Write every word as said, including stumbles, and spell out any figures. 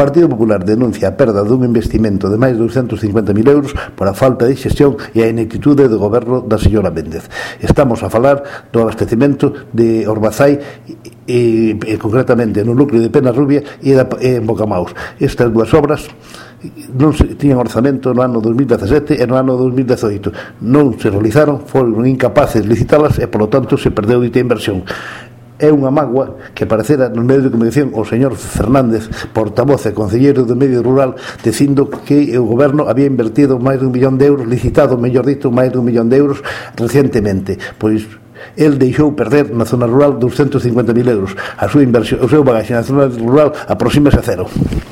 Partido Popular denuncia a perda dun investimento de máis de douscentos cincuenta mil euros por a falta de xestión e a ineptitude do goberno da señora Méndez. Estamos a falar do abastecimento de Orbazai e, e concretamente no núcleo de Penarrubia e, da, e en Bocamaus. Estas dúas obras non se tiñan orzamento no ano dos mil dezasete e no ano dos mil dezoito. Non se realizaron, foron incapaces de licitalas e, polo tanto, se perdeu dita inversión. É unha mágoa que aparecera no medio de comunicación o señor Fernández, portavoz e concelleiro do medio rural, dicindo que o goberno había invertido máis dun millón de euros, licitado, mellor dito, máis dun millón de euros recientemente. Pois el deixou perder na zona rural douscentos cincuenta mil euros. A súa inversión, o seu bagaxe na zona rural aproxímase a cero.